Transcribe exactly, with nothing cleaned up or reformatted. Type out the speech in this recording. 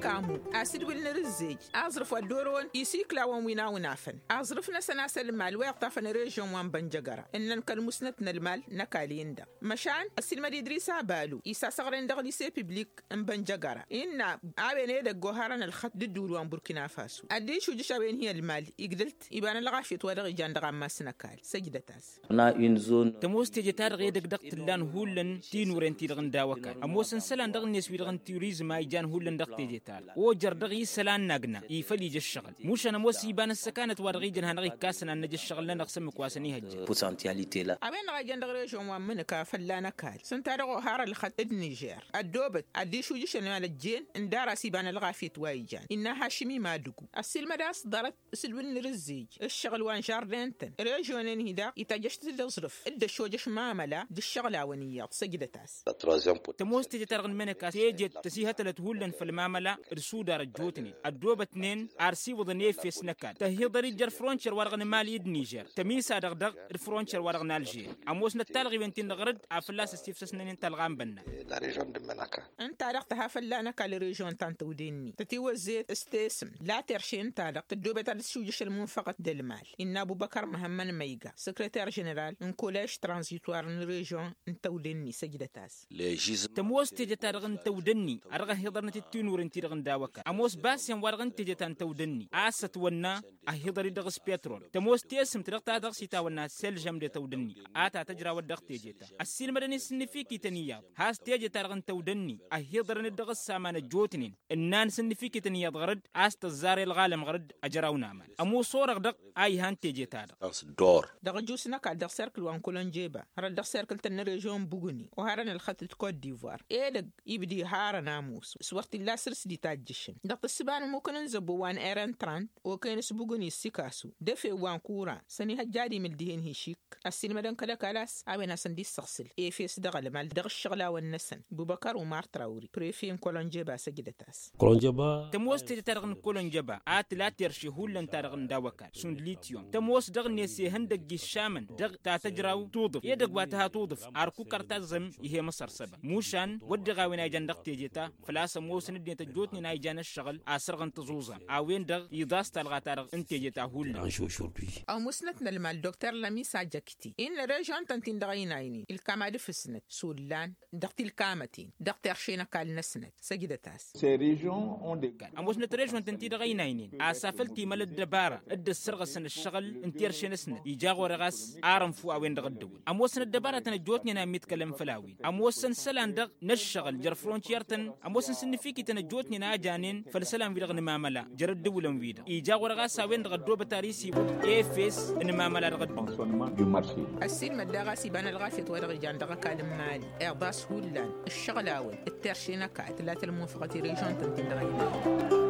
Amu asǝdwǝl n-rǝzzej aẓrǝf wa dd-orăwăn isikla-wăn wi n-awǝnafăn aẓrǝf-năsăn a-s ălmal wa iṭṭafăn režion wa n-bănjăgăra ǝnnăn kăl-musnăt n-ălmal n-ăkall-en-dăɣ măšan ăssiilmăd idris abalu isasăɣren dăɣ-lise piblik n-bănjăgăra innă a-wen edăgg oharăn ălxăt d-ǝddǝwǝl wa n-burkina faso ad-dd-išujǝš a-wen hi-ălmal igdăl-t iba n-ălɣafyăt wa dăɣ-ijan dăɣ-ammas n-ăkall săjdăt-as. Tămoos teje-ta-dăɣ edăgg dăɣ-t ǝllan hullan tinuren-ti-dăɣ n-daw-ăkall ămoosăn isălan dăɣ-net wi-dăɣ n-turizm a ijan hullan dăɣ-teje-ta-dăɣ ojăr dăɣ-isălan n-agna ifăl ija ǝššăɣǝl mušan ămoos iba n-ăssăkanăt wa dăɣ-ijăn hanăɣ-ikkasăn ad-năj ǝššăɣǝl-nănăɣ s-ǝmmǝk wa săn-ihăjjăt. A-wen-dăɣ a ijăn dăɣ-režion wa n-imǝnǝka fălla n-ăkall s-ǝnta-dăɣ ohar ălxăt d-nižer ăddoobăt ad-dd-išujǝšăn i-alăjjen n-dara s-iba n-ălɣafyăt wa ijan innă hašim imadǝgu ăssiilmăd a-s ḍarăt s-ǝdwǝl n-rǝzzej ǝššăɣǝl wa n-žarden-tăn režion-en-hi daɣ itajjăš-t d-aẓrǝf d-ăššojăš mamăla d-ǝššăɣǝl-awăn iyyăḍ săjdăt-as. Tămoos teje-ta-dăɣ n-imănăka tejet tăsihătălăt hullan făll-mamăla d-sudar ăjjootnen ăddoobătnen ar siwǝḍăn efes n-ăkall tăhhiḍăr-dd jer-frontier-wa-dăɣ n-mali d-nižer tămisa-dăɣ dăɣ-frontier-wa-dăɣ n-alžeri ămoosnăt talɣiwen-tin-dăɣ ɣăr-dd afăl a-s ăssifsăsnănen talɣa n-bănna. Ǝnta-dăɣ tǝha fălla n-ăkall režion ta n-tăwde-ni tătiwăzzet s-tesǝm la terše ǝnta-dăɣ tăddoobet ad-dd-tǝšujǝš ălmunfăɣăt d-ălmal innă ăbubăkăr măhămmăn măyga săkrăter ženeral n-kolež tranzitwar n-režion n-tăwde-ni săjdăt-as. Tămoos teje-ta-dăɣ n-tăwde-ni a dăɣ-ăhiḍărnăt d-tinuren-ti-dăɣ n-daw-ăkall ămoos basen-wa-dăɣ n-teje ta n-tăwde-ni a-s ătwănna ăhiḍăr-dd dăɣ-s petrol tămoos tesǝmt dăɣ-ta-dăɣ s-itawănna selžăm d-tăwde-ni a ta tăjrawăt dăɣ-teje ta ăssiilmădăn-in s-ǝnnǝfikităn iyyăḍ has-teje-ta-dăɣ n-tăwde-ni ăhiḍărăn-dd dăɣ-s aman ăjjootnen ǝnnan s-ǝnnǝfikităn iyyăḍ ɣăr-dd a-s tăẓẓar i-ălɣalăm ɣăr-dd ăjraw n-aman ămoos orăɣ dăɣ-a ihan teje-ta-dăɣ. Dăɣ-ăjus n-ăkall dăɣ-serkǝl wa n-kolănjeba hărăt dăɣ-serkǝl-tăn n-režion n-bugǝni oharăn ălxăt d-kot divoir edăgg ibda iharăn ămoos s-wăr t-illa săr-s d-itajjǝšăn dăɣ-tǝssǝba n-ămmukăn n-zăbbo wa n-eren trant okăyăn s-bugǝni s-ikasu d-efew wa n-kura săn ihăjja ad-imǝl dihen hišik ăssiilmădăn kăl-ăkall a-s a-wen hasăn-dd-issăɣsǝl efes dăɣ-ălmal dăɣ-ǝššăɣlawăn-năsăn bubăkăr umar trawri prefe n-kolănjeba săjdăt-as. Tămoos teje-ta-dăɣ n-kolănjeba a tǝla terše hullan-ta-dăɣ n-daw-ăkall šund lityum tămoos dăɣ-net ihăndăgg iššamăn dăɣ-ta tăjraw tuḍǝf edăgg wa tǝha tuḍǝf arkukăr taẓẓăm ih'-e măsăr săba mušan wădden a-wen a ijan dăɣ-teje-ta făl-a-s ămoosăn ăddinăt ăjjootnen a ijan ǝššăɣǝl asărɣăn tăẓuẓa a-wen-dăɣ iḍas talɣa-ta-dăɣ n-teje-ta hullan. Ămusnăt n-ălmal dokter lămisa jăkti innă režion-tăn-tin-dăɣ ăynaynen ilkam ad-ǝfǝsnăt s-ollan dăɣ-tilkamăten dăɣ-terše n-ăkall-năsnăt săjdăt-as. Ămoosnăt režion-tăn-ti-dăɣ ăynaynen a-s afăl timăl ăddăbara dd-ăssărɣăsăn ǝššăɣǝl n-terše-năsnăt ija ɣur-e ɣas ar ănfu a-wen-dăɣ ăddăwăl ămoosăn ăddăbaratăn ăjjootnen a ǝmmiḍkălăn făll-a-wen ămoosăn isălan dăɣ-năššăɣǝl jer-frontiyer-tăn ămoosăn s-ǝnnǝfikităn ăjjootnen a janen făll-isălan-wi-dăɣ n-imamăla jer-ăddǝwǝlăn-wi-dăɣ ija ɣur-e ɣas a-wen-dăɣ ăddoobăt ar isiwǝd efes n-imamăla dăɣ-ăddǝwǝl. Ăssiilmăd daɣ a-s iba n-ălɣafyăt wa dăɣ-ijan dăɣ-ăkall n-mali iḍas hullan ǝššăɣǝl-awăn d-terše n-ăkall tǝlat ălmunfăɣăt i-režion-tăn-tin-dăɣ a iman.